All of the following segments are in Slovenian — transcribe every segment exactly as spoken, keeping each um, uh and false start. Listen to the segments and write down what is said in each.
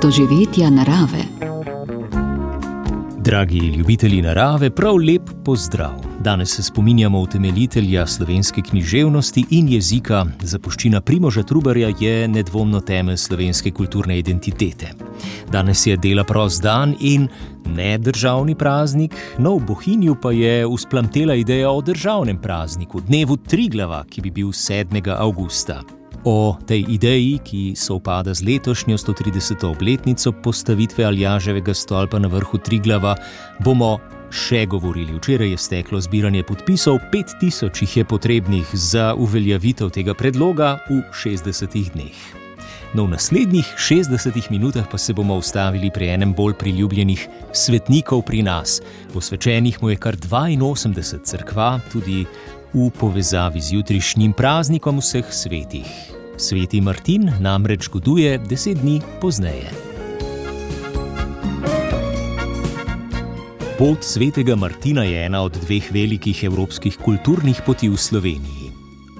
doživetja narave. Dragi ljubitelji narave, prav lep pozdrav. Danes se spominjamo utemeljitelja slovenske književnosti in jezika. Zapuščina Primoža Trubarja je nedvomno temelj slovenske kulturne identitete. Danes je dela prost dan in ne državni praznik, no v Bohinju pa je vzplamtela ideja o državnem prazniku, dnevu Triglava, ki bi bil sedmega avgusta. O tej ideji, ki sovpada z letošnjo stotrideseto obletnico postavitve Aljaževega stolpa na vrhu Triglava, bomo še govorili. Včeraj je steklo zbiranje podpisov, pet tisoč jih je potrebnih za uveljavitev tega predloga v šestdesetih dneh. No, v naslednjih šestdesetih minutah pa se bomo ustavili pri enem bolj priljubljenih svetnikov pri nas. Posvečenih mu je kar dvainosemdeset cerkva, tudi v povezavi z jutrišnjim praznikom vseh svetih. Sveti Martin namreč goduje deset dni pozneje. Pot svetega Martina je ena od dveh velikih evropskih kulturnih poti v Sloveniji.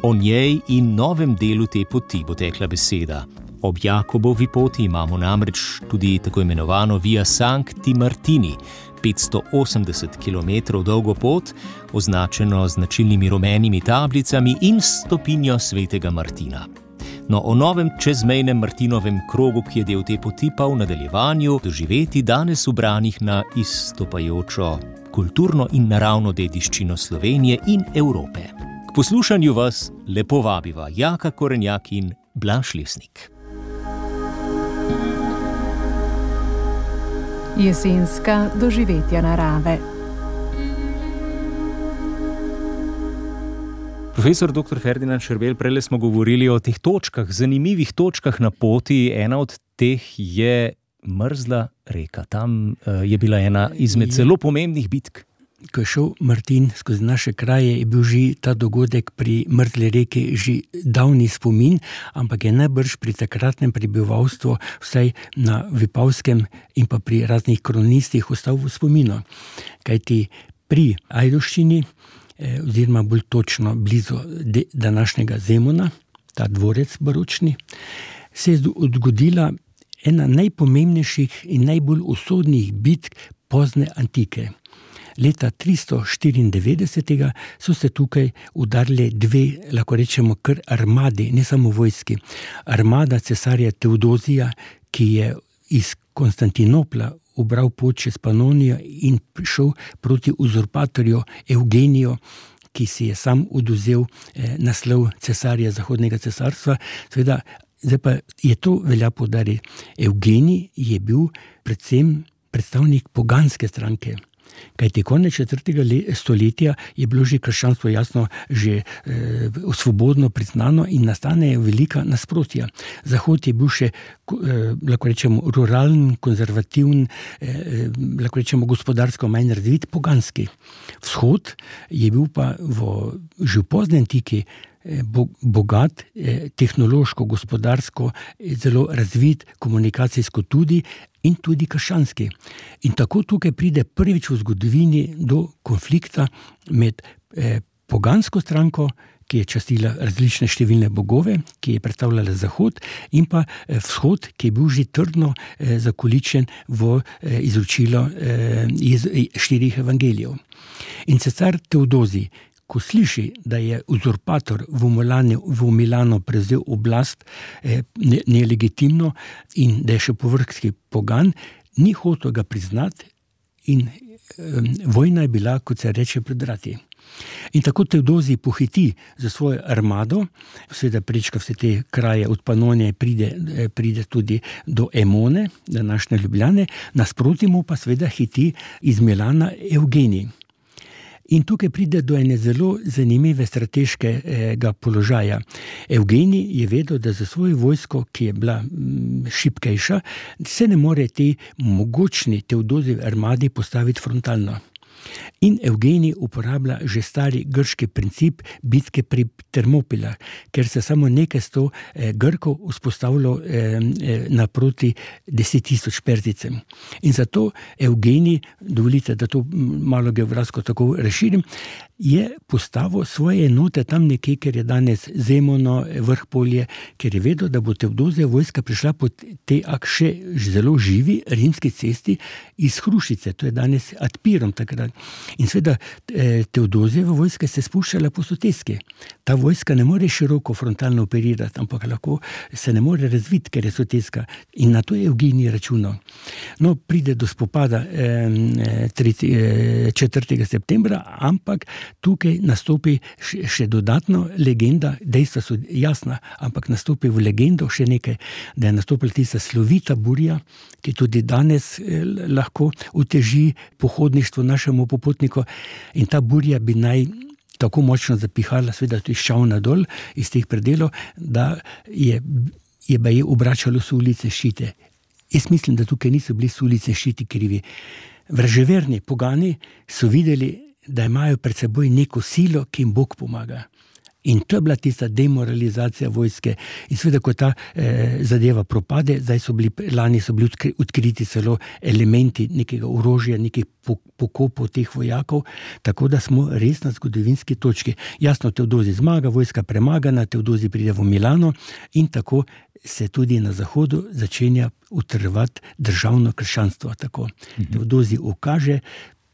O njej in novem delu te poti bo tekla beseda. Ob Jakobovi poti imamo namreč tudi tako imenovano Via Sancti Martini, petsto osemdeset kilometrov dolgo pot, označeno z značilnimi rumenimi tablicami in stopinjo svetega Martina. No, o novem čezmejnem Martinovem krogu, ki je del te poti, pa v nadaljevanju doživeti danes ubranih na izstopajočo kulturno in naravno dediščino Slovenije in Evrope. K poslušanju vas lepo vabiva Jaka Korenjak in Blaž Lesnik. Jesenska doživetja narave. Profesor doktor Ferdinand Šerbelj, prejle smo govorili o teh točkah, zanimivih točkah na poti. Ena od teh je Mrzla reka. Tam uh, je bila ena izmed zelo pomembnih bitk. Ko je šel Martin skozi naše kraje, je bil že ta dogodek pri Mrzli reki že davni spomin, ampak je najbrž pri takratnem prebivalstvu, vsaj na Vipavskem in pa pri raznih kronistih, ostal v spominu. Kajti pri Ajdovščini, eh, oziroma bolj točno blizu de, današnjega Zemuna, ta dvorec baročni, se je odgodila ena najpomembnejših in najbolj usodnih bitk pozne antike. Leta tristo štiriindevetdeset so se tukaj udarili dve, lahko rečemo, kar armadi, ne samo vojski. Armada cesarja Teodozija, ki je iz Konstantinopla ubral pot čez Panonijo in prišel proti uzurpatorju Evgeniju, ki si je sam oduzel eh, naslov cesarja Zahodnega cesarstva. Seveda, zdaj pa je to velja poudariti. Evgenij je bil predvsem predstavnik poganske stranke. Kajti konec četrtega stoletja je bilo že krščanstvo jasno že eh, svobodno priznano in nastane velika nasprotja. Zahod je bil še, eh, lahko rečemo, ruralen, konzervativen, eh, lahko rečemo, gospodarsko manj razvit, poganski. Vzhod je bil pa v, že v pozni antiki bogat, tehnološko, gospodarsko, zelo razvit, komunikacijsko tudi in tudi krščanski. In tako tukaj pride prvič v zgodovini do konflikta med eh, pogansko stranko, ki je častila različne številne bogove, ki je predstavljala Zahod, in pa eh, vzhod, ki je bil že trdno eh, zakoličen v eh, izročilo eh, iz štirih evangelijev. In cesar Teodozij, ko sliši, da je uzurpator v Milanu, v Milanu prevzel oblast eh, ne, nelegitimno in da je še povrhski pogan, ni hotel ga priznati in eh, vojna je bila, kot se reče, pred vrati. In tako Teodozij pohiti za svojo armado, seveda prečka vse te kraje od Panonije, pride, pride tudi do Emone, današnje Ljubljane, nasproti mu pa seveda hiti iz Milana Evgenij. In tukaj pride do ene zelo zanimive strateškega položaja. Evgenij je vedel, da za svojo vojsko, ki je bila šibkejša, se ne more te mogočni Teodozijeve armadi postaviti frontalno. In Evgenij uporablja že stari grški princip bitke pri Termopilah, ker se samo nekaj sto eh, Grkov vzpostavilo eh, naproti deset tisoč Perzicem. In zato Evgenij, dovolite, da to malo geografsko tako razširim, je postavil svoje enote tam nekje, ker je danes Zemono, Vrhpolje, ker je vedel, da bo Teodozija vojska prišla po tej še zelo živi rimski cesti iz Hrušice, to je danes Adpirom takrat. In seveda Teodozijeva vojska se spuščala po soteski. Ta vojska ne more široko frontalno operirati, ampak lahko se ne more razviti, ker je soteska. In na to je Evgenij računal. No, pride do spopada četrtega septembra, ampak tukaj nastopi še dodatno legenda, dejstva so jasna, ampak nastopi v legendo še nekaj, da je nastopila tista slovita burja, ki tudi danes lahko uteži pohodništvo našemu popotniku, in ta burja bi naj tako močno zapihala, seveda tudi ščavna dol iz teh predelov, da je, je baje obračalo so ulice ščite. Jaz mislim, da tukaj niso bili so ulice ščiti krivi. Vraževerni pogani so videli, da imajo pred seboj neko silo, ki jim Bog pomaga. In to je bila tista demoralizacija vojske. In seveda, ko ta eh, zadeva propade, zdaj so bili, lani so bili odkriti celo elementi nekega orožja, nekih pokopov teh vojakov, tako da smo res na zgodovinski točki. Jasno, Teodozij zmaga, vojska premagana, Teodozij pride v Milano in tako se tudi na zahodu začenja utrjevati državno krščanstvo. Tako. Mhm. Teodozij ukaže,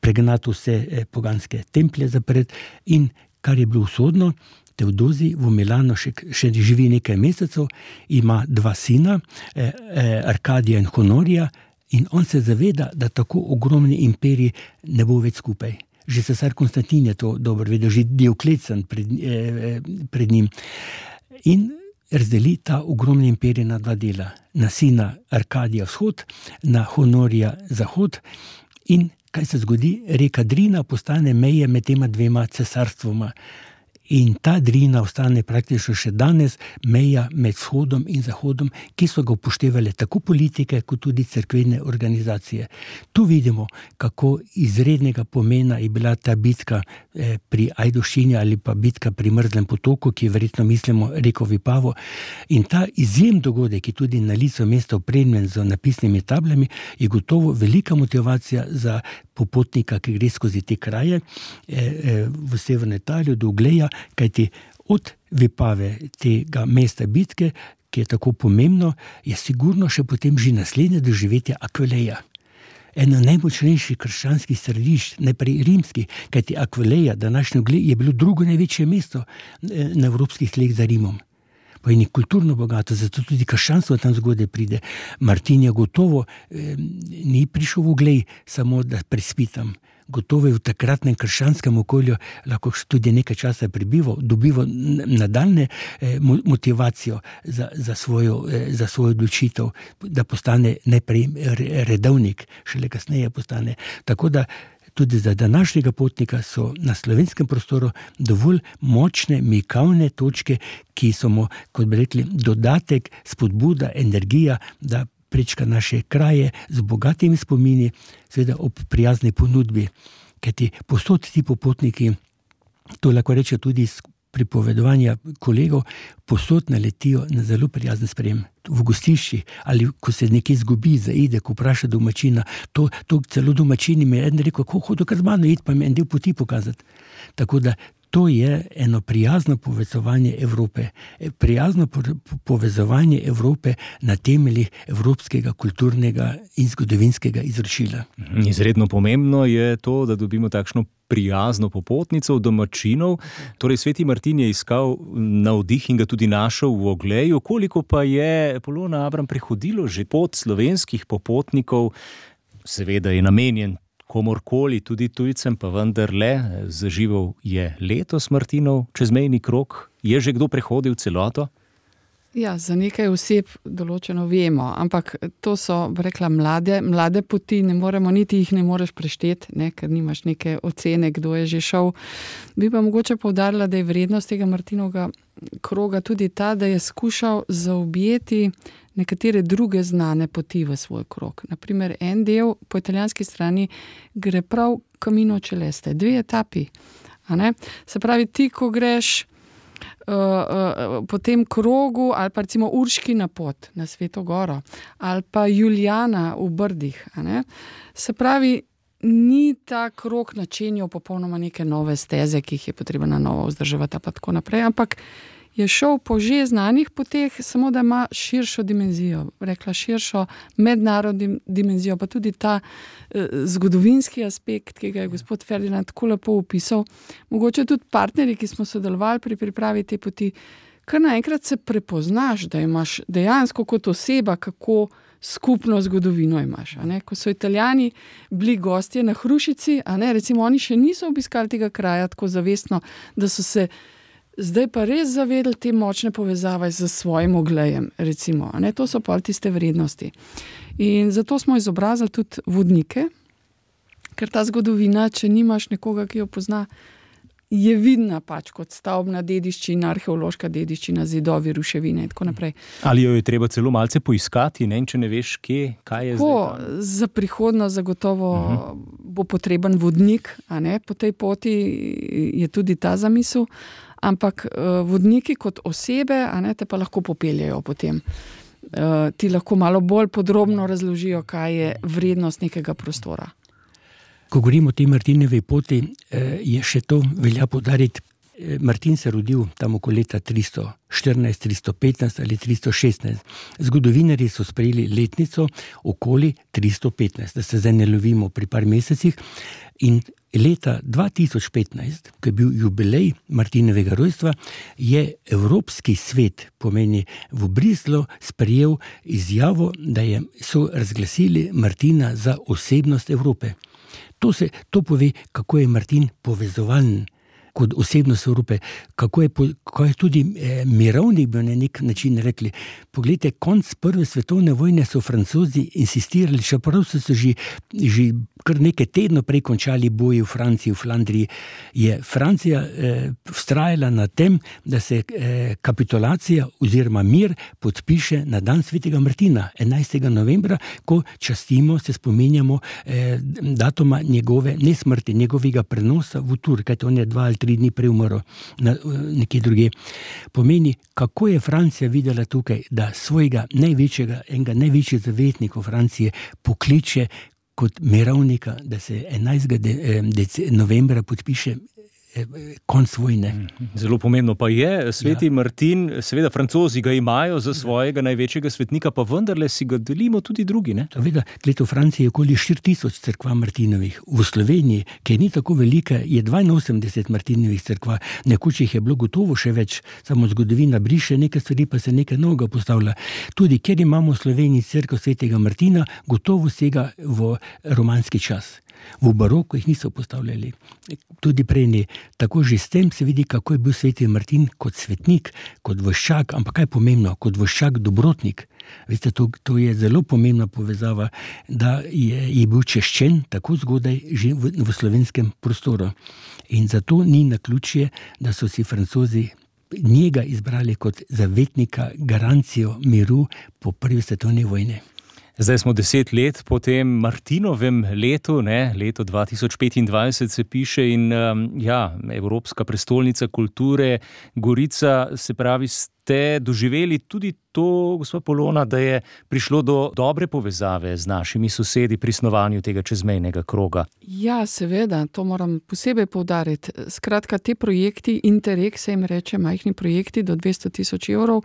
pregnati vse poganske templje zapred in kar je bilo usodno, Teodozij v Milano še, še živi nekaj mesecev, ima dva sina, eh, eh, Arkadija in Honorija, in on se zaveda, da tako ogromni imperij ne bo več skupaj. Že cesar Konstantin je to dobro vedel, že Dioklecijan pred, eh, pred njim. In razdeli ta ogromni imperij na dva dela. Na sina Arkadija vzhod, na Honorija zahod, in kaj se zgodi? Reka Drina postane meje med tema dvema cesarstvoma. In ta Drina ostane praktično še danes meja med vzhodom in zahodom, ki so ga upoštevali tako politike, kot tudi cerkvene organizacije. Tu vidimo, kako izrednega pomena je bila ta bitka eh, pri Ajdovščini ali pa bitka pri Mrzlem potoku, ki verjetno mislimo reko Vipavo. In ta izjemen dogodek, ki tudi na licu mesta opremljen z napisnimi tablami, je gotovo velika motivacija za popotnika, ki gre skozi te kraje eh, eh, v severno Italijo do Ugleja, kajti od Vipave tega mesta bitke, ki je tako pomembno, je sigurno še potem že naslednje doživetje Akvileja. Eno najmočnejših krščanskih središč, najprej rimskih, kajti Akvileja, današnji Uglej, je bilo drugo največje mesto na evropskih tleh za Rimom. Pa je kulturno bogato, zato tudi krščanstvo tam zgodaj pride. Martin je gotovo eh, ni prišel v Uglej samo, da prespitam. Gotovo je v takratnem krščanskem okolju lahko tudi nekaj časa prebival, dobival nadaljne eh, motivacijo za, za, svojo, eh, za svojo odločitev, da postane najprej redovnik, šele kasneje postane. Tako da tudi za današnjega potnika so na slovenskem prostoru dovolj močne mikavne točke, ki so mu, kot bi rekli, dodatek, spodbuda, energija, da prečka naše kraje z bogatimi spomini, seveda ob prijazni ponudbi. Kajti posod ti popotniki, to lahko reče tudi iz pripovedovanja kolegov, posod naletijo na zelo prijazen sprejem. V gostiščih ali ko se nekje zgubi, zaide, ko vpraša domačina, to, to celo domačini mi je eden rekel, kako hodo kar z mano iti, pa mi en del poti pokazati. Tako da to je eno prijazno povezovanje Evrope. Prijazno povezovanje Evrope na temeljih evropskega kulturnega in zgodovinskega izročila. Izredno pomembno je to, da dobimo takšno prijazno popotnico domačinov. Torej, sveti Martin je iskal navdih in ga tudi našel v Ogleju. Koliko pa je Polona Abram prehodilo že pot slovenskih popotnikov? Seveda je namenjen komorkoli, tudi tujcem, pa vendarle, zaživel je letos Martinov čezmejni krog. Je že kdo prehodil celoto? Ja, za nekaj oseb določeno vemo, ampak to so, rekla, mlade, mlade poti, ne moremo, niti jih ne moreš prešteti, ne, ker nimaš neke ocene, kdo je že šel. Bi pa mogoče poudarila, da je vrednost tega Martinovega kroga tudi ta, da je skušal zaobjeti nekatere druge znane poti v svoj krog. Naprimer, en del po italijanski strani gre prav Camino Celeste, dve etapi. A ne? Se pravi, ti, ko greš uh, uh, po tem krogu, ali pa recimo Urškina pot na Sveto Goro, ali pa Julijana v Brdih. A ne? Se pravi, ni ta krog načenjal popolnoma neke nove steze, ki jih je potrebno na novo vzdrževati, pa tako naprej, ampak je šel po že znanih poteh, samo da ima širšo dimenzijo, rekla širšo mednarodno dimenzijo, pa tudi ta eh, zgodovinski aspekt, ki ga je gospod Ferdinand tako lepo opisal. Mogoče tudi partnerji, ki smo sodelovali pri pripravi te poti, kar naenkrat se prepoznaš, da imaš dejansko kot oseba, kako skupno zgodovino imaš. A ne? Ko so Italijani bili gostje na Hrušici, a ne, recimo oni še niso obiskali tega kraja tako zavestno, da so se zdaj pa res zavedali te močne povezave z svojim oglejem, recimo. A ne? To so pa tiste vrednosti. In zato smo izobrazili tudi vodnike, ker ta zgodovina, če nimaš nekoga, ki jo pozna, je vidna pač kot stavbna dediščina, arheološka dediščina, zidovi, ruševine in tako naprej. Ali jo je treba celo malce poiskati, ne? Če ne veš, kje, kaj je Ko, zdaj? Za prihodnost zagotovo uh-huh. bo potreben vodnik, a ne? Po tej poti je tudi ta zamisel, ampak uh, vodniki kot osebe, a ne, te pa lahko popeljajo potem. Uh, ti lahko malo bolj podrobno razložijo, kaj je vrednost nekega prostora. Ko govorimo o tej Martinevi poti, je še to velja poudariti. Martin se rodil tam okoli leta tristo štirinajst, tristo petnajst ali tristo šestnajst. Zgodovinarji so sprejeli letnico okoli tristo petnajst, da se zdaj ne lovimo pri par mesecih. In leta dva tisoč petnajst, ko je bil jubilej Martinovega rojstva, je Evropski svet, pomeni v Bruslju, sprejel izjavo, da je, so razglasili Martina za osebnost Evrope. To, se, to pove, kako je Martin povezovalen kot osebnost Evrope, kako je, kako je tudi eh, mirovnik bil na nek način rekli. Poglejte, konc prve svetovne vojne so Francozi insistirali, čeprav so se že, že kar nekaj tedno prej končali boji v Franciji, v Flandriji, je Francija eh, vztrajala na tem, da se eh, kapitulacija oziroma mir podpiše na dan svetega Martina, enajstega novembra, ko častimo, se spominjamo eh, datuma njegove nesmrti, njegovega prenosa v Tur, kajte on je dva ali tri dni prej umrl na, nekje druge. Pomeni, kako je Francija videla tukaj, da svojega največjega, enega največjih zavetnikov Francije pokliče kot mirovnika, da se enajstega novembra podpiše konc vojne. Zelo pomembno pa je, sveti ja. Martin, seveda Francozi ga imajo za svojega največjega svetnika, pa vendarle si ga delimo tudi drugi, ne? Seveda, v Franciji je okoli štiri tisoč cerkva Martinovih. V Sloveniji, ki ni tako velika, je dvainosemdeset Martinovih cerkva. Nekoč jih je bilo gotovo še več, samo zgodovina briše nekaj stvari, pa se nekaj novega postavlja. Tudi, ker imamo v Sloveniji cerkev svetega Martina, gotovo sega v romanski čas. V baroku jih niso postavljali, tudi prej ne. Tako že s tem se vidi, kako je bil sveti Martin kot svetnik, kot voščak, ampak kaj je pomembno, kot voščak dobrotnik. Veste, to, to je zelo pomembna povezava, da je, je bil češčen tako zgodaj že v, v slovenskem prostoru. In zato ni naključje, da so si Francozi njega izbrali kot zavetnika, garancijo miru po prvi svetovni vojni. Zdaj smo deset let po tem Martinovem letu, ne, leto dva tisoč petindvajset se piše in um, ja, Evropska prestolnica kulture, Gorica, se pravi, ste doživeli tudi to, gospod Polona, da je prišlo do dobre povezave z našimi sosedi pri snovanju tega čezmejnega kroga. Ja, seveda, to moram posebej poudariti. Skratka, te projekti, Interreg se jim reče, majhni projekti do dvesto tisoč evrov,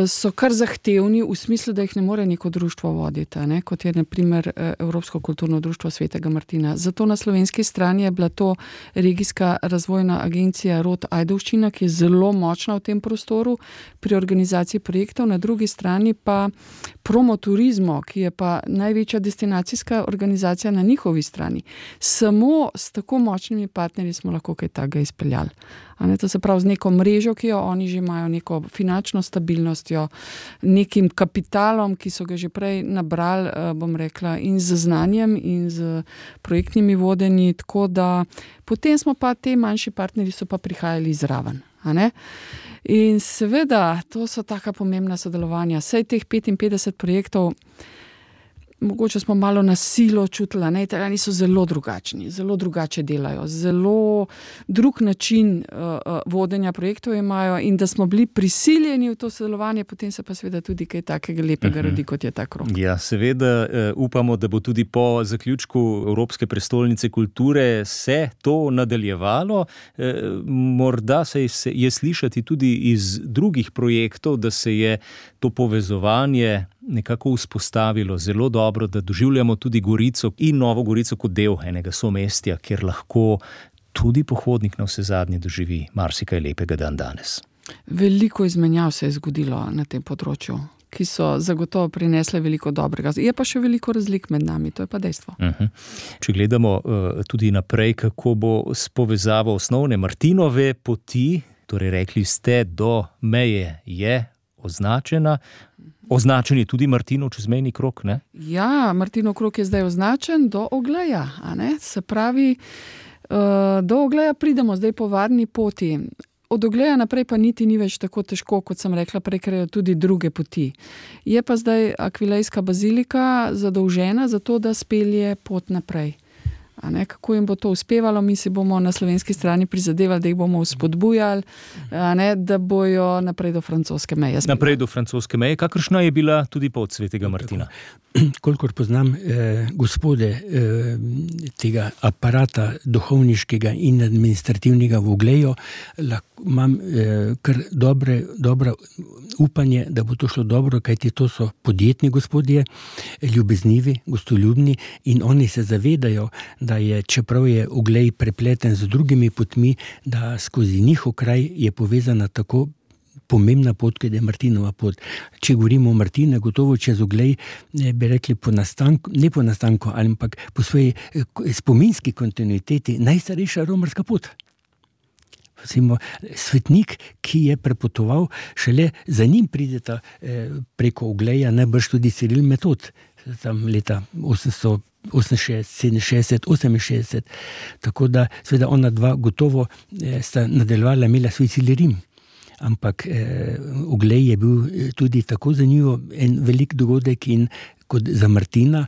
so kar zahtevni v smislu, da jih ne more neko društvo voditi, ne? Kot je na primer Evropsko kulturno društvo svetega Martina. Zato na slovenski strani je bila to regijska razvojna agencija Rod Ajdovščina, ki je zelo močna v tem prostoru pri organizaciji projektov, na drugi strani pa Promoturizmo, ki je pa največja destinacijska organizacija na njihovi strani. Samo s tako močnimi partnerji smo lahko kaj takega izpeljali. A ne, to se pravi z neko mrežo, ki jo oni že imajo, neko finančno stabilnostjo, nekim kapitalom, ki so ga že prej nabrali, bom rekla, in z znanjem in z projektnimi vodenji, tako da potem smo pa te manjši partnerji so pa prihajali zraven. A ne? In seveda, to so taka pomembna sodelovanja. Sej teh petinpetdeset projektov, mogoče smo malo na silo čutili, ne, Italijani so zelo drugačni, zelo drugače delajo, zelo drug način uh, vodenja projektov imajo in da smo bili prisiljeni v to sodelovanje, potem se pa seveda tudi kaj takega lepega rodi, kot je ta krog. Ja, seveda uh, upamo, da bo tudi po zaključku Evropske prestolnice kulture se to nadaljevalo. Uh, morda se je, je slišati tudi iz drugih projektov, da se je to povezovanje nekako vzpostavilo zelo dobro, da doživljamo tudi Gorico in Novo Gorico kot del enega somestja, kjer lahko tudi pohodnik na vse zadnje doživi marsikaj lepega dan danes. Veliko izmenjav se je zgodilo na tem področju, ki so zagotovo prinesle veliko dobrega. Je pa še veliko razlik med nami, to je pa dejstvo. Uh-huh. Če gledamo uh, tudi naprej, kako bo s povezavo osnovne Martinove poti, torej rekli ste, do meje je označena. Označen je tudi Martinov čezmejni krog, ne? Ja, Martinov krog je zdaj označen do Ogleja, a ne? Se pravi, uh, do Ogleja pridemo zdaj po varni poti. Od Ogleja naprej pa niti ni več tako težko, kot sem rekla, prekrejo tudi druge poti. Je pa zdaj Akvilejska bazilika zadolžena za to, da spelje pot naprej. A ne, kako jim bo to uspevalo, mi si bomo na slovenski strani prizadevali, da jih bomo vzpodbujali, a ne, da bojo naprej do francoske meje. Naprej do francoske meje, kakršna je bila tudi pot svetega Martina. Kolikor poznam eh, gospode eh, tega aparata duhovniškega in administrativnega v Ogleju, lahko imam eh, kar dobre, dobro upanje, da bo to šlo dobro, kajti to so podjetni gospodje, ljubeznivi, gostoljubni in oni se zavedajo, da je, čeprav je Oglej prepleten z drugimi potmi, da skozi njihov kraj je povezana tako pomembna pot, kot je Martinova pot. Če govorimo o Martinu, gotovo čez Oglej, bi rekli po nastanku, ne po nastanku, ampak po svoji spominski kontinuiteti najstarejša romarska pot. Recimo, svetnik, ki je prepotoval, šele za njim prideta eh, preko Ogleja najbrž tudi Ciril Metod, tam leta osemsto oseminšestdeset, sedeminšestdeset, oseminšestdeset. Tako da, seveda, ona dva gotovo eh, sta nadaljevala, imela svoj cilj Rim. Ampak eh, Oglej je bil tudi tako zanimivo en velik dogodek in kot za Martina.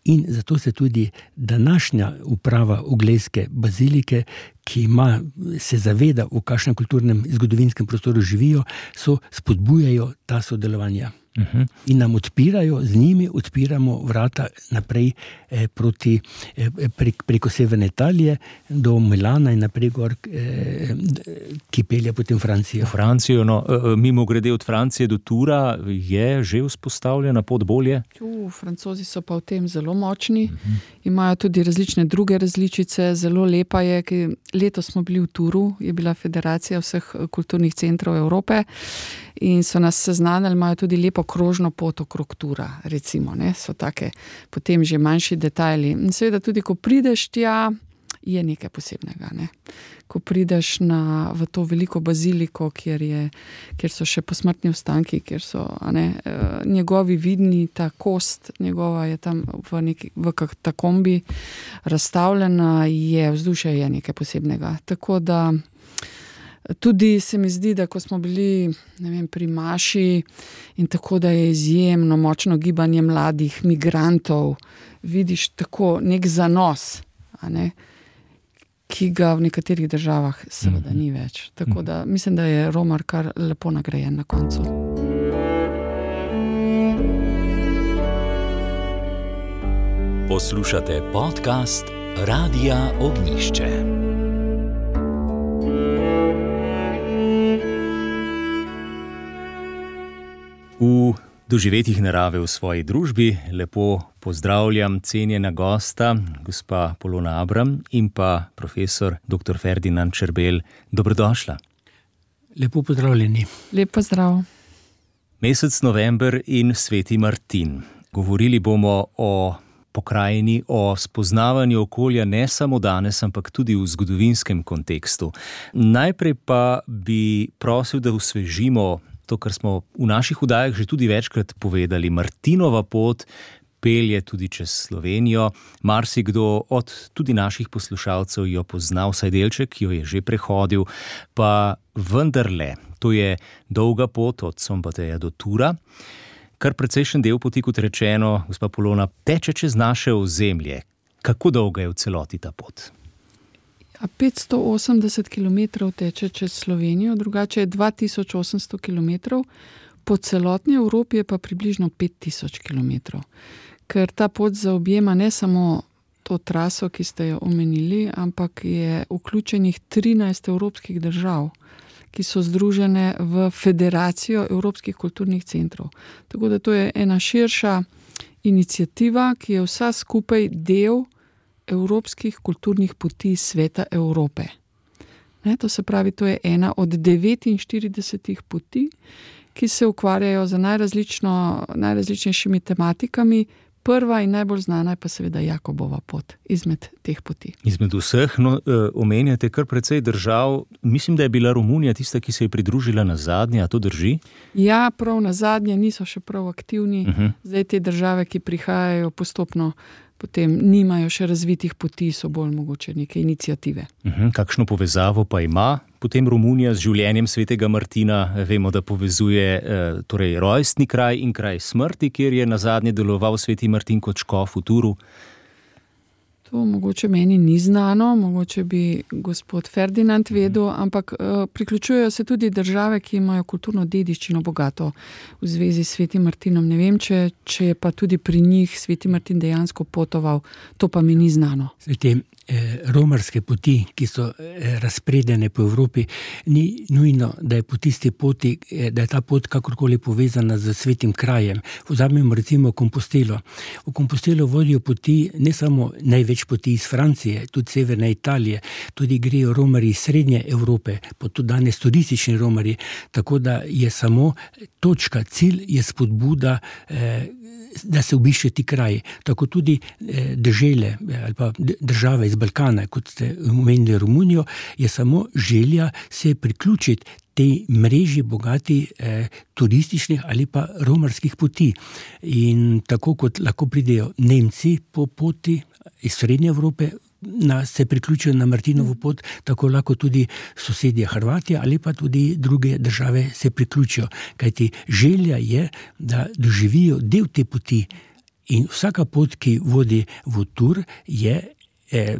In zato se tudi današnja uprava Oglejske bazilike, ki ima, se zaveda, v kakšnem kulturnem zgodovinskem prostoru živijo, so spodbujajo ta sodelovanja. Uh-huh. In nam odpirajo, z njimi odpiramo vrata naprej eh, proti, eh, prek, preko severne Italije do Milana in naprej gor, eh, ki pelje potem Francijo. Francijo, no, mimo grede od Francije do Tura je že vzpostavljena pot bolje? U, Francozi so pa v tem zelo močni, uh-huh. Imajo tudi različne druge različice, zelo lepa je, ki letos smo bili v Turu, je bila federacija vseh kulturnih centrov Evrope in so nas seznanili, imajo tudi lepo krožno pot okrog Tura, recimo, ne, so take potem že manjši detajli. In seveda tudi, ko prideš tja, je nekaj posebnega, ne. Ko prideš na, v to veliko baziliko, kjer, je, kjer so še posmrtni ostanki, kjer so a ne, njegovi vidni, ta kost njegova je tam v neki v katakombi razstavljena, je vzdušje je nekaj posebnega. Tako da tudi se mi zdi, da ko smo bili, ne vem, pri Maši in tako, da je izjemno močno gibanje mladih migrantov, vidiš tako nek zanos, a ne, ki ga v nekaterih državah seveda ni več. Tako da mislim, da je Romar kar lepo nagrajen na koncu. Poslušate podcast Radia Ognjišče. V doživetjih narave v svoji družbi lepo pozdravljam cenjena gosta, gospa Polona Abram in pa profesor doktor Ferdinand Čerbelj. Dobrodošla. Lepo pozdravljeni. Lep pozdrav. Mesec november in sveti Martin. Govorili bomo o pokrajini, o spoznavanju okolja ne samo danes, ampak tudi v zgodovinskem kontekstu. Najprej pa bi prosil, da osvežimo to, kar smo v naših oddajah že tudi večkrat povedali. Martinova pot pelje tudi čez Slovenijo. Marsikdo od tudi naših poslušalcev jo pozna, vsaj delček jo je že prehodil, pa vendarle, to je dolga pot od Sombateja do Tura. kar precejšen del poti, kot rečeno, gospa Polona, teče čez naše ozemlje. Kako dolga je v celoti ta pot? Ja, petsto osemdeset kilometrov teče čez Slovenijo, drugače je dva tisoč osemsto kilometrov, po celotni Evropi je pa približno pet tisoč kilometrov. Ker ta pot zaobjema ne samo to traso, ki ste jo omenili, ampak je vključenih trinajst evropskih držav, ki so združene v Federacijo evropskih kulturnih centrov. Tako da to je ena širša iniciativa, ki je vsa skupaj del evropskih kulturnih poti Sveta Evrope. Ne, to se pravi, to je ena od devetinštiridesetih poti, ki se ukvarjajo z najrazlično, najrazličnejšimi tematikami. Prva in najbolj znana je pa seveda Jakobova pot izmed teh poti. Izmed vseh, no, omenjate kar precej držav. Mislim, da je bila Romunija tista, ki se je pridružila na zadnje, a to drži? Ja, prav na zadnje, niso še prav aktivni. Uh-huh. Zdaj te države, ki prihajajo postopno, potem nimajo še razvitih poti, so bolj mogoče neke iniciative. Uh-huh. Kakšno povezavo pa ima potem Romunija z življenjem svetega Martina? Vemo, da povezuje eh, torej rojstni kraj in kraj smrti, kjer je nazadnje deloval sveti Martin kot škof v Turu. To mogoče meni ni znano, mogoče bi gospod Ferdinand vedel, ampak uh, priključujejo se tudi države, ki imajo kulturno dediščino bogato v zvezi s svetim Martinom. Ne vem, če, če je pa tudi pri njih sveti Martin dejansko potoval, to pa mi ni znano. Te eh, romarske poti, ki so eh, razpredene po Evropi, ni nujno, da je po tisti poti, eh, da je ta pot kakorkoli povezana z svetim krajem. Vzamemo recimo Kompostelo. V Kompostelo vodijo poti ne samo največ poti iz Francije, tudi severne Italije, tudi grejo romari iz srednje Evrope, pa tudi danes turistični romari, tako da je samo točka, cilj je spodbuda, eh, da se obišče ti kraji. Tako tudi eh, dežele ali pa države iz Balkana, kot ste omenili Romunijo, je samo želja se priključiti tej mreži bogati eh, turističnih ali pa romarskih poti. In tako kot lahko pridejo Nemci po poti iz srednje Evrope, na, se priključijo na Martinovo pot, tako lahko tudi sosedje Hrvatije ali pa tudi druge države se priključijo. Kajti želja je, da doživijo del te poti. In vsaka pot, ki vodi v Tur, je, eh,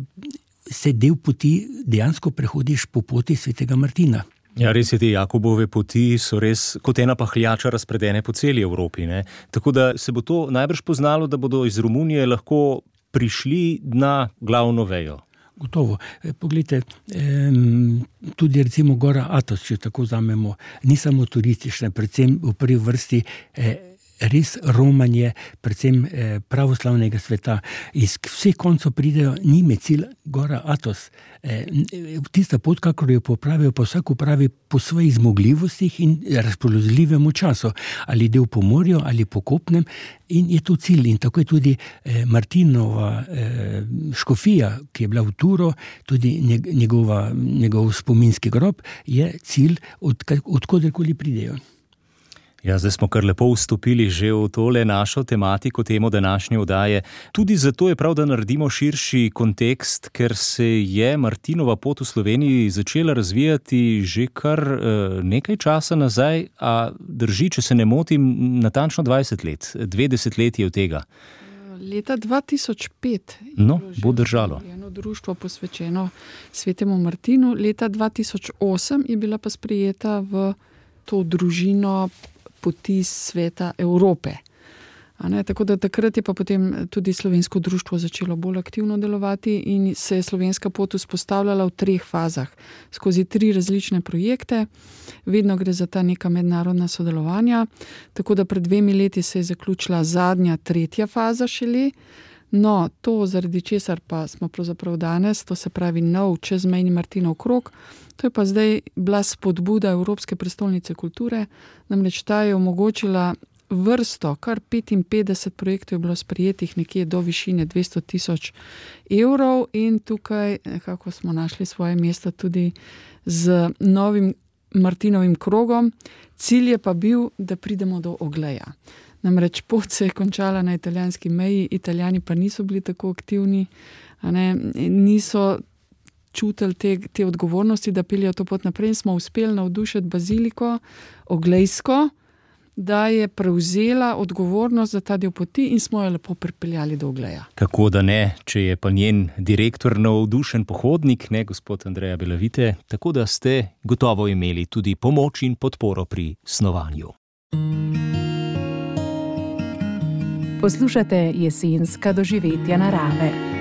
se del poti dejansko prehodiš po poti svetega Martina. Ja, res je, te Jakobove poti so res kot ena pahljača razpredene po celi Evropi, ne? Tako da se bo to najbrž poznalo, da bodo iz Romunije lahko prišli na glavno vejo. Gotovo. Poglejte, tudi recimo Gora Atos, če tako vzamemo, ni samo turistična, predvsem v prvi vrsti res romanje, predvsem pravoslavnega sveta. Iz vseh koncev pridejo njime cilj Gora Atos. Tista pot, kakor jo popravijo, pa vsak upravi po svojih zmogljivostih in razpoložljivemu času. Ali del po morju, ali po kopnem, in je to cilj. In tako je tudi Martinova škofija, ki je bila v Turo, tudi njegova, njegov spominski grob, je cilj, od, od koderkoli pridejo. Ja, zdaj smo kar lepo vstopili že v tole našo tematiko, temo današnje oddaje. Tudi zato je prav, da naredimo širši kontekst, ker se je Martinova pot v Sloveniji začela razvijati že kar uh, nekaj časa nazaj, a drži, če se ne motim, natančno dvajset let, dve desetletji od tega. Leta dva tisoč pet no, bo držalo. Eno društvo posvečeno svetemu Martinu, leta dva tisoč osem je bila pa sprejeta v to družino poti Sveta Evrope. A ne, tako da takrat je pa potem tudi slovensko društvo začelo bolj aktivno delovati in se je slovenska pot vzpostavljala v treh fazah, skozi tri različne projekte. Vedno gre za ta neka mednarodna sodelovanja, tako da pred dvemi leti se je zaključila zadnja, tretja faza šele. No, to zaradi česar pa smo pravzaprav danes, to se pravi nov čezmejni Martinov krog, to je pa zdaj bila spodbuda Evropske prestolnice kulture, namreč ta je omogočila vrsto, kar petinpetdeset projektov je bilo sprejetih nekje do višine dvesto tisoč evrov in tukaj nekako smo našli svoje mesto tudi z novim Martinovim krogom. Cilj je pa bil, da pridemo do Ogleja. Namreč pot se je končala na italijanski meji, Italijani pa niso bili tako aktivni, a ne, niso čutili te, te odgovornosti, da peljajo to pot naprej in smo uspeli navdušiti baziliko, Oglejsko, da je prevzela odgovornost za ta del poti in smo jo lepo pripeljali do Ogleja. Kako da ne, če je pa njen direktor navdušen pohodnik, ne, gospod Andreja Belavite, tako da ste gotovo imeli tudi pomoč in podporo pri snovanju. Poslušate jesenska doživetja narave.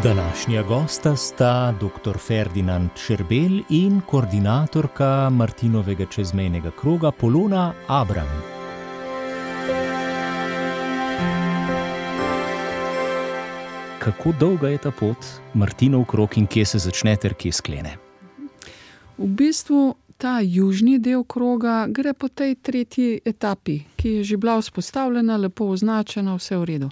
Današnja gosta sta doktor Ferdinand Čerbelj in koordinatorka Martinovega čezmejnega kroga Polona Abram. Kako dolga je ta pot, Martinov krog, in kje se začne ter kje sklene? V bistvu ta južni del kroga gre po tej tretji etapi, ki je že bila vzpostavljena, lepo označena, vse v redu.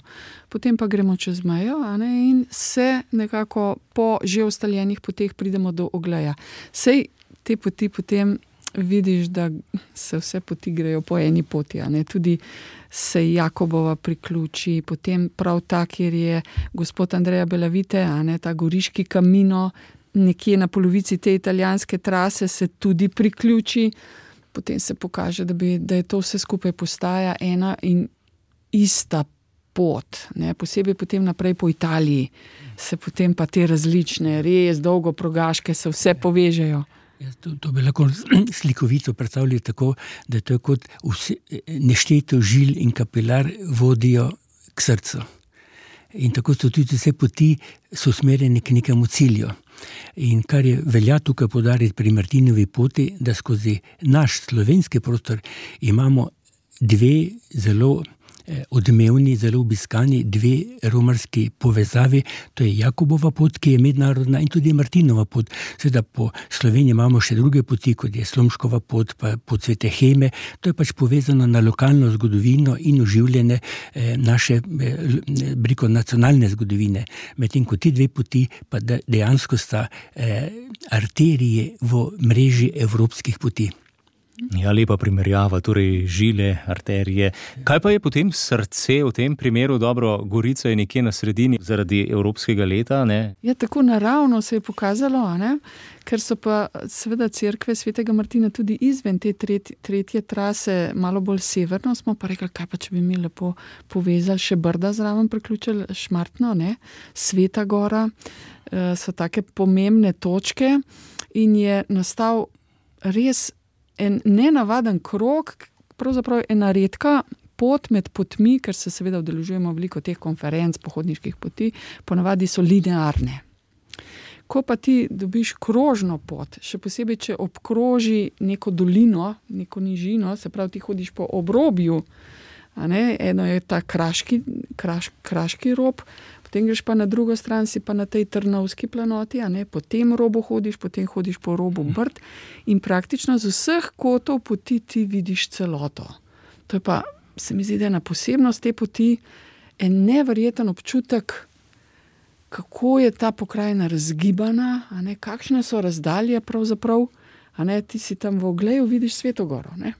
Potem pa gremo čez mejo, a ne, in se nekako po že ustaljenih poteh pridemo do Ogleja. Sej te poti potem vidiš, da se vse poti grejo po eni poti, a ne, tudi se Jakobova priključi, potem prav ta, kjer je gospod Andreja Belavite, a ne, ta goriški Camino, nekje na polovici te italijanske trase se tudi priključi, potem se pokaže, da, bi, da je to vse skupaj postaja ena in ista pot, ne? Posebej potem naprej po Italiji se potem pa te različne, res dolgo progaške se vse povežejo. Ja, to, to bi lahko slikovito predstavljali tako, da je to kot vse, nešteto žil in kapilar vodijo k srcu. In tako so tudi vse poti so usmerjene k nekemu cilju. In kar je velja tukaj poudariti pri Martinovi poti, da skozi naš slovenski prostor imamo dve zelo odmevni, zelo obiskani, dve romarski povezavi, to je Jakobova pot, ki je mednarodna, in tudi Martinova pot. Seveda po Sloveniji imamo še druge poti, kot je Slomškova pot, pa pot Svete Heme, to je pač povezano na lokalno zgodovino in oživljene eh, naše eh, briko nacionalne zgodovine. Medtem ko ti dve poti pa dejansko sta eh, arterije v mreži evropskih poti. Ja, lepa primerjava, torej žile, arterije. Kaj pa je potem srce v tem primeru? Dobro, Gorica je nekje na sredini zaradi evropskega leta, ne? Ja, tako naravno se je pokazalo, ne? Ker so pa seveda cerkve Svetega Martina tudi izven te tretje, tretje trase, malo bolj severno, smo pa rekli, kaj pa če bi mi lepo povezali še Brda zraven, priključili Šmartno, ne? Sveta Gora, so take pomembne točke in je nastal res en nenavaden krog, pravzaprav ena redka pot med potmi, ker se seveda udeležujemo veliko teh konferenc, pohodniških poti, ponavadi so linearne. Ko pa ti dobiš krožno pot, še posebej, če obkroži neko dolino, neko nižino, se pravi, ti hodiš po obrobju, a ne, eno je ta kraški, kraš, kraški rob, potem greš pa na drugo stran, si pa na tej Trnovski planoti, a ne, po tem robu hodiš, potem hodiš po robu Brd in praktično z vseh kotov poti ti vidiš celoto. To je pa, se mi zdi, da je ena posebnost te poti, en neverjeten občutek, kako je ta pokrajina razgibana, a ne, kakšne so razdalje pravzaprav, a ne, ti si tam v Ogleju, vidiš Sveto Goro, ne.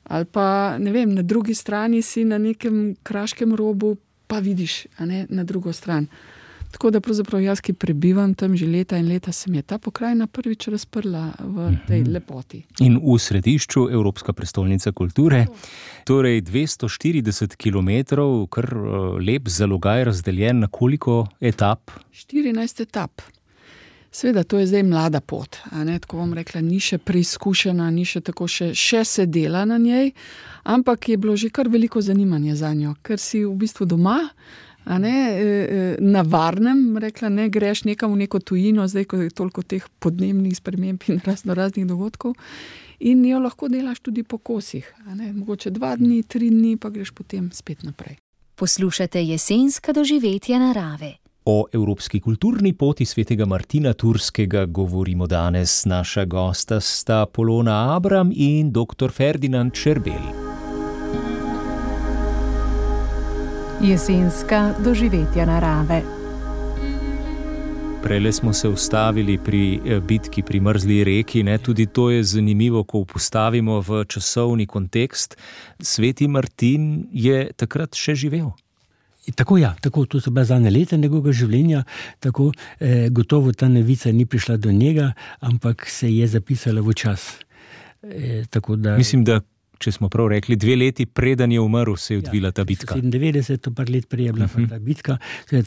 Ali pa, ne vem, na drugi strani si na nekem kraškem robu, pa vidiš, a ne, na drugo stran. Tako da pravzaprav jaz, ki prebivam tam že leta in leta, se mi je ta pokrajina prvič razprla v tej lepoti. In v središču Evropska prestolnica kulture, torej dvesto štirideset kilometrov, kar lep zalogaj, razdeljen na koliko etap? štirinajst etap. Seveda, to je zdaj mlada pot, a ne, tako bom rekla, ni še preizkušena, ni še tako, še, še se dela na njej, ampak je bilo že kar veliko zanimanja za njo, ker si v bistvu doma, a ne, na varnem, rekla, ne greš nekam v neko tujino, zdaj, ko je toliko teh podnebnih sprememb in razno raznih dogodkov, in jo lahko delaš tudi po kosih, a ne, mogoče dva dni, tri dni, pa greš potem spet naprej. Poslušate jesenska doživetja narave. O evropski kulturni poti Svetega Martina Turskega govorimo danes. Naša gosta sta Polona Abram in doktor Ferdinand Čerbelj. Jesenska doživetja narave. Prele smo se ustavili pri bitki pri Mrzli reki, ne? Tudi to je zanimivo, ko postavimo v časovni kontekst. Sveti Martin je takrat še živel. Tako ja, tako, to so bila zadnja leta njegovega življenja, tako eh, gotovo ta novica ni prišla do njega, ampak se je zapisala v čas. Eh, tako da, Mislim, da če smo prav rekli, dve leti preden je umrl, se je odvila ta bitka. sedemindevetdeset, to par let prej je bila uh-huh. ta bitka.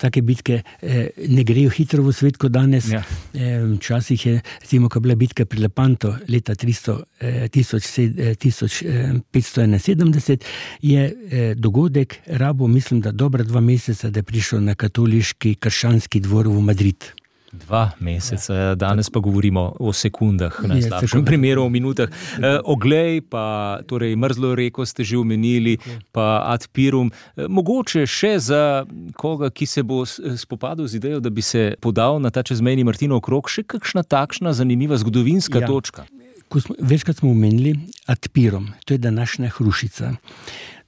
Take bitke eh, ne grejo hitro v svet kot danes. Ja. Eh, včasih je, recimo, ko je bila bitka pri Lepanto leta tristo, eh, tisoč, eh, tisoč petsto enainsedemdeset, je eh, dogodek rabo, mislim, da dobra dva meseca, da je prišel na katoliški krščanski dvor v Madrid. Dva meseca, danes pa govorimo o sekundah, v najslabšem primeru o minutah. E, Oglej, pa torej Mrzlo reko ste že omenili, pa Ad Pirum. E, mogoče še za koga, ki se bo spopadal z idejo, da bi se podal na ta čezmejni Martinov krog, še kakšna takšna zanimiva zgodovinska ja. točka? Ko smo, večkrat smo omenili Ad Pirum, to je današnja Hrušica.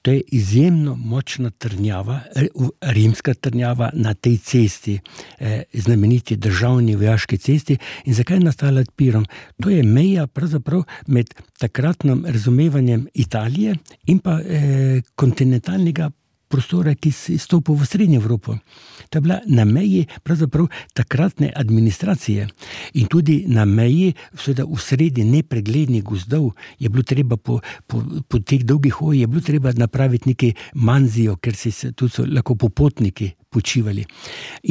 To je izjemno močna trnjava, rimska trnjava na tej cesti, eh, znameniti državni vojaški cesti. In zakaj je nastala Ad Pirum? To je meja pravzaprav med takratnim razumevanjem Italije in pa eh, kontinentalnega prostora, ki si stopil v Srednjo Evropo. To je bila na meji pravzaprav takratne administracije in tudi na meji seveda v sredi nepreglednih gozdov je bilo treba po, po, po teh dolgih hojih je bilo treba napraviti neki manzijo, ker si se tudi so lahko popotniki počivali.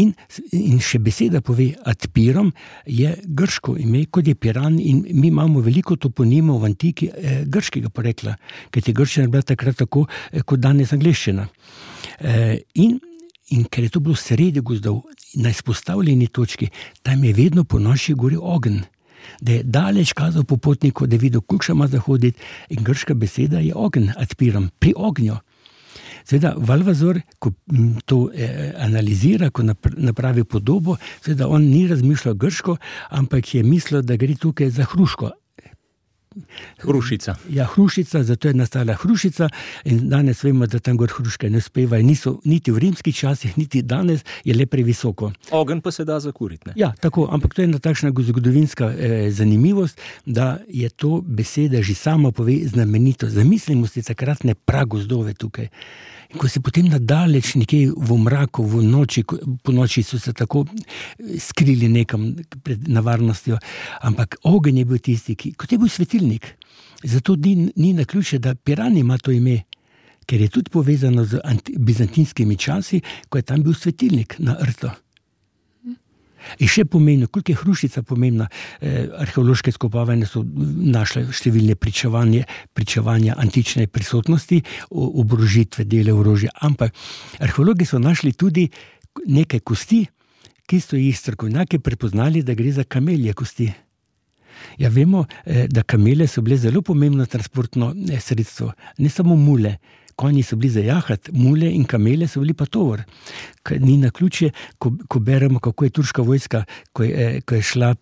In, in še beseda pove, Ad Pirum je grško ime, kot je Piran, in mi imamo veliko toponimov v antiki eh, grškega porekla, ker je grščina bila takrat tako, eh, kot danes angleščina. Eh, in, in ker je to bilo sredi gozdov, na izpostavljeni točki, tam je vedno po noči gori ogenj, da je daleč kazal popotniku, da je videl, koliko še ima zahoditi, in grška beseda je ogenj, Ad Pirum, pri ognju. Seveda, Valvazor, ko to eh, analizira, ko napravi podobo, seveda on ni razmišljal grško, ampak je mislil, da gre tukaj za hruško. Hrušica. Ja, hrušica, zato je nastala Hrušica in danes vemo, da tam gor hruške ne uspevajo, niso niti v rimskih časih, niti danes je le previsoko. Ogenj pa se da zakuriti, ne? Ja, tako, ampak to je ena takšna zgodovinska eh, zanimivost, da je to beseda že sama pove znamenito. Zamislimo si takratne pragozdove tukaj. In ko se potem nadaleč nekje v mraku, v noči, po noči so se tako skrili nekam pred nevarnostjo, ampak ogenj je bil tisti, ki, kot je bil svetilnik. Zato ni, ni naključje, da Piran ima to ime, ker je tudi povezano z anti, bizantinskimi časi, ko je tam bil svetilnik na rto. In še pomembno, koliko je Hrušica pomembna, eh, arheološke skopavanja so našle številne pričevanje, pričevanja antične prisotnosti, oborožitve, dele orožja, ampak arheologi so našli tudi nekaj kosti, ki so jih strokovnjaki prepoznali, da gre za kamelje kosti. Ja, vemo, eh, da kamele so bile zelo pomembno transportno eh, sredstvo, ne samo mule. Konji so bili za jahati, mule in kamele so bili pa tovor. Ni naključje, ko, ko beremo, kako je turška vojska, ko je, ko je šla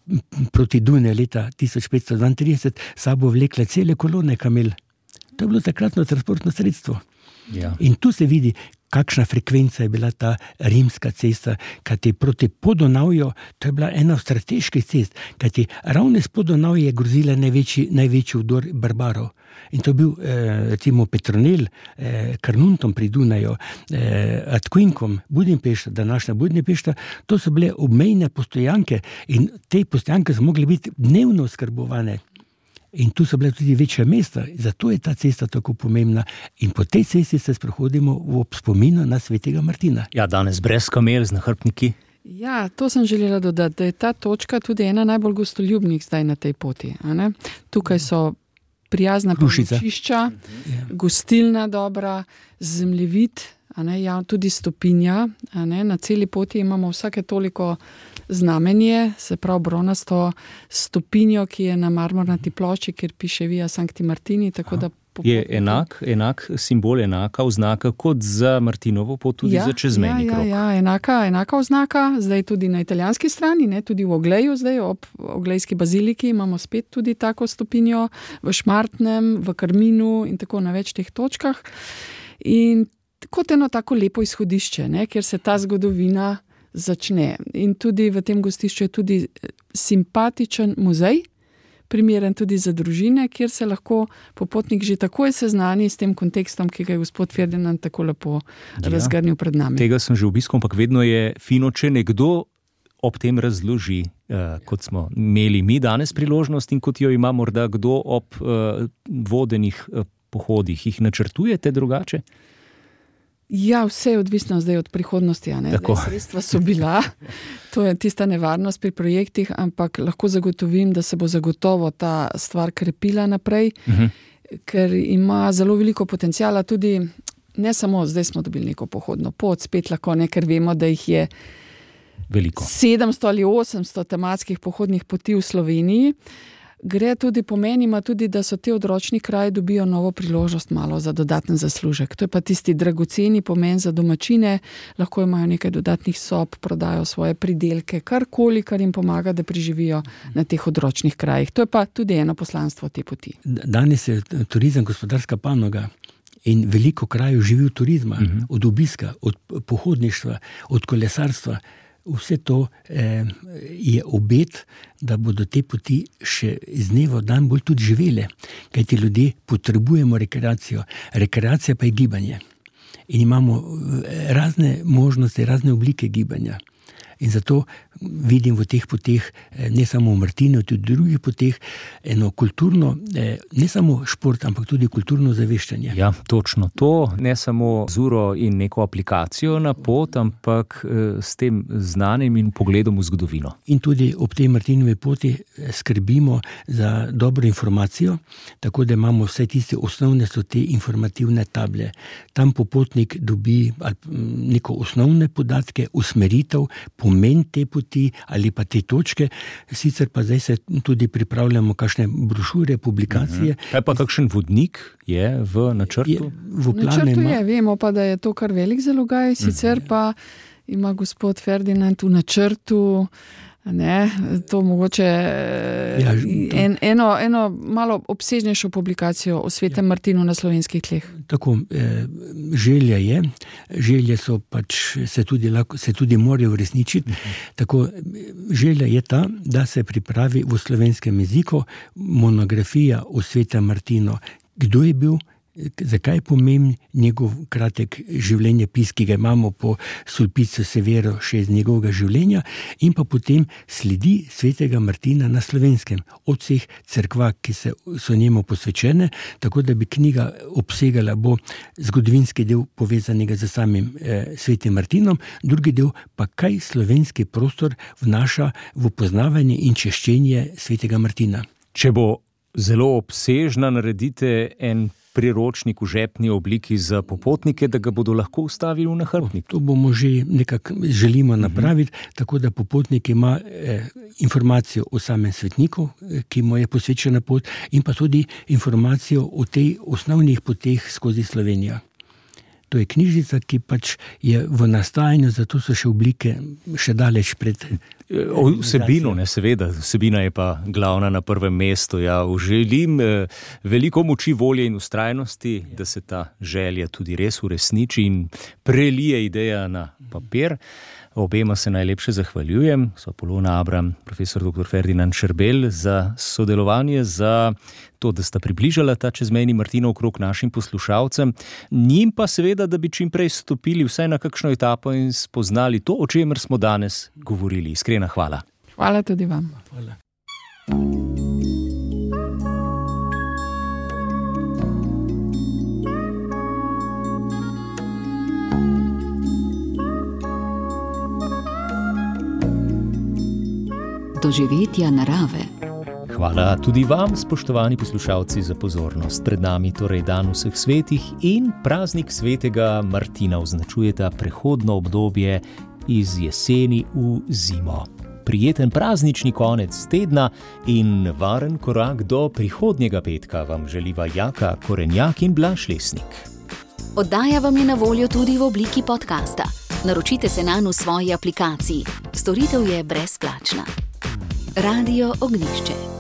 proti Dunaju leta tisoč petsto dvaintrideset, sabo vlekla cele kolone kamel. To je bilo takratno transportno sredstvo. Ja. In tu se vidi, kakšna frekvenca je bila ta rimska cesta, kajti proti Podonavju, to je bila ena od strateških cest, kajti ravno s Podonavja je grozila največji, največji vdor barbarov. In to je bil, eh, recimo, Petronel, eh, Carnuntum pri Dunaju, eh, Atquinkum, Budimpešta, današnja Budimpešta, to so bile obmejne postojanke in te postojanke so mogli biti dnevno oskrbovane. In tu so bile tudi večja mesta, zato je ta cesta tako pomembna. In po tej cesti se sprehodimo v spominu na svetega Martina. Ja, danes brez kamel z nahrbtniki. Ja, to sem želela dodati, da je ta točka tudi ena najbolj gostoljubnih zdaj na tej poti. A ne? Tukaj so prijazna prenočišča, gostilna dobra, zemljevid, a ne, ja, tudi stopinja. A ne, na celi poti imamo vsake toliko znamenje, se pravi bronasto stopinjo, ki je na marmornati plošči, kjer piše Via Sancti Martini, tako da je enak, enak simbol, enaka oznaka kot za Martinovo pot, tudi ja, za čezmejni ja, krog. Ja, ja, enaka, enaka oznaka, zdaj tudi na italijanski strani, ne, tudi v Ogleju, zdaj ob Oglejski baziliki imamo spet tudi tako stopinjo, v Šmartnem, v Karminu in tako na več teh točkah. In kot eno tako lepo izhodišče, ne, kjer se ta zgodovina začne. In tudi v tem gostišču je tudi simpatičen muzej, primeren tudi za družine, kjer se lahko popotnik že takoj seznani s tem kontekstom, ki ga je gospod Ferdinand tako lepo ja, razgrnil pred nami. Tega sem že obiskal, ampak vedno je fino, če nekdo ob tem razloži, eh, kot smo imeli mi danes priložnost in kot jo ima morda kdo ob eh, vodenih eh, pohodih. Jih načrtujete drugače? Ja, vse je odvisno zdaj od prihodnosti. A ne? Sredstva so bila, to je tista nevarnost pri projektih, ampak lahko zagotovim, da se bo zagotovo ta stvar krepila naprej, uh-huh. ker ima zelo veliko potencijala tudi, ne samo zdaj smo dobili neko pohodno pot, spet lahko ne, ker vemo, da jih je veliko. sedemsto ali osemsto tematskih pohodnih poti v Sloveniji. Gre tudi, pomeni ima tudi, da so te odročni kraji dobijo novo priložnost malo za dodaten zaslužek. To je pa tisti dragoceni pomen za domačine, lahko imajo nekaj dodatnih sob, prodajo svoje pridelke, karkoli, kar jim pomaga, da preživijo na teh odročnih krajih. To je pa tudi eno poslanstvo te poti. Danes je turizem gospodarska panoga in veliko krajev živi od turizma, uh-huh. od obiska, od pohodništva, od kolesarstva. Vse to eh, je obet, da bodo te poti še z dneva v dan bolj tudi živele, kajti ljudje potrebujemo rekreacijo. Rekreacija pa je gibanje. In imamo razne možnosti, razne oblike gibanja. In zato vidim v teh poteh, ne samo v Martinu, tudi v drugih poteh, eno kulturno, ne samo šport, ampak tudi kulturno zaveščanje. Ja, točno to. Ne samo z uro in neko aplikacijo na pot, ampak s tem znanjem in pogledom v zgodovino. In tudi ob tej Martinovi poti skrbimo za dobro informacijo, tako da imamo vse tiste osnovne so te informativne table. Tam popotnik dobi neko osnovne podatke, usmeritev, pomen te poti ali pa te točke, sicer pa zdaj se tudi pripravljamo kakšne brošure, publikacije. Uh-huh. Kaj pa kakšen vodnik je v načrtu? Je, v načrtu ima... je, vemo pa, da je to kar velik zalogaj, sicer uh-huh. pa ima gospod Ferdinand v načrtu ne, to mogoče ja, to... En, eno, eno malo obsežnejšo publikacijo o Svetem ja. Martinu na slovenskih tleh. Tako, eh, želja je, želje so pač, se tudi, lahko, se tudi morajo uresničiti, uh-huh. tako, želja je ta, da se pripravi v slovenskem jeziku monografija o Svetem Martinu. Kdo je bil, zakaj je pomemben njegov kratek življenjepis, ki ga imamo po Sulpicu Severo še iz njegovega življenja, in pa potem sledi Svetega Martina na slovenskem, od vseh cerkva, ki se, so njemu posvečene, tako da bi knjiga obsegala bo zgodovinski del povezanega z samim eh, Svetim Martinom, drugi del pa kaj slovenski prostor vnaša v poznavanje in češčenje Svetega Martina. Če bo zelo obsežna, naredite en priročnik v žepni obliki za popotnike, da ga bodo lahko ustavili v nahrbtnik. To bomo že nekako želimo napraviti, uh-huh. tako da popotnik ima eh, informacijo o samem svetniku, eh, ki mu je posvečena pot, in pa tudi informacijo o tej osnovnih poteh skozi Slovenijo. To je knjižica, ki pač je v nastajanju, zato so še oblike še daleč pred... O vsebino, ne, seveda, vsebina je pa glavna na prvem mestu. Ja, želim eh, veliko moči, volje in ustrajnosti, da se ta želja tudi res uresniči in prelije ideja na papir. Obema se najlepše zahvaljujem, so Polona Abram, profesor doktor Ferdinand Šerbelj, za sodelovanje, za to, da sta približala ta čezmejni Martinov krog našim poslušalcem, njim pa seveda, da bi čim prej stopili vsaj na kakšno etapo in spoznali to, o čemer smo danes govorili. Iskrena hvala. Hvala tudi vam. Hvala. Doživetja narave. Hvala tudi vam, spoštovani poslušalci, za pozornost. Pred nami torej dan vseh svetih in praznik Svetega Martina označujeta prehodno obdobje iz jeseni v zimo. Prijeten praznični konec tedna in varen korak do prihodnjega petka vam želiva Jaka Korenjak in Blaž Lesnik. Oddaja vam je na voljo tudi v obliki podcasta. Naročite se nanj v svoji aplikaciji. Storitev je brezplačna. Radio Ognjišče.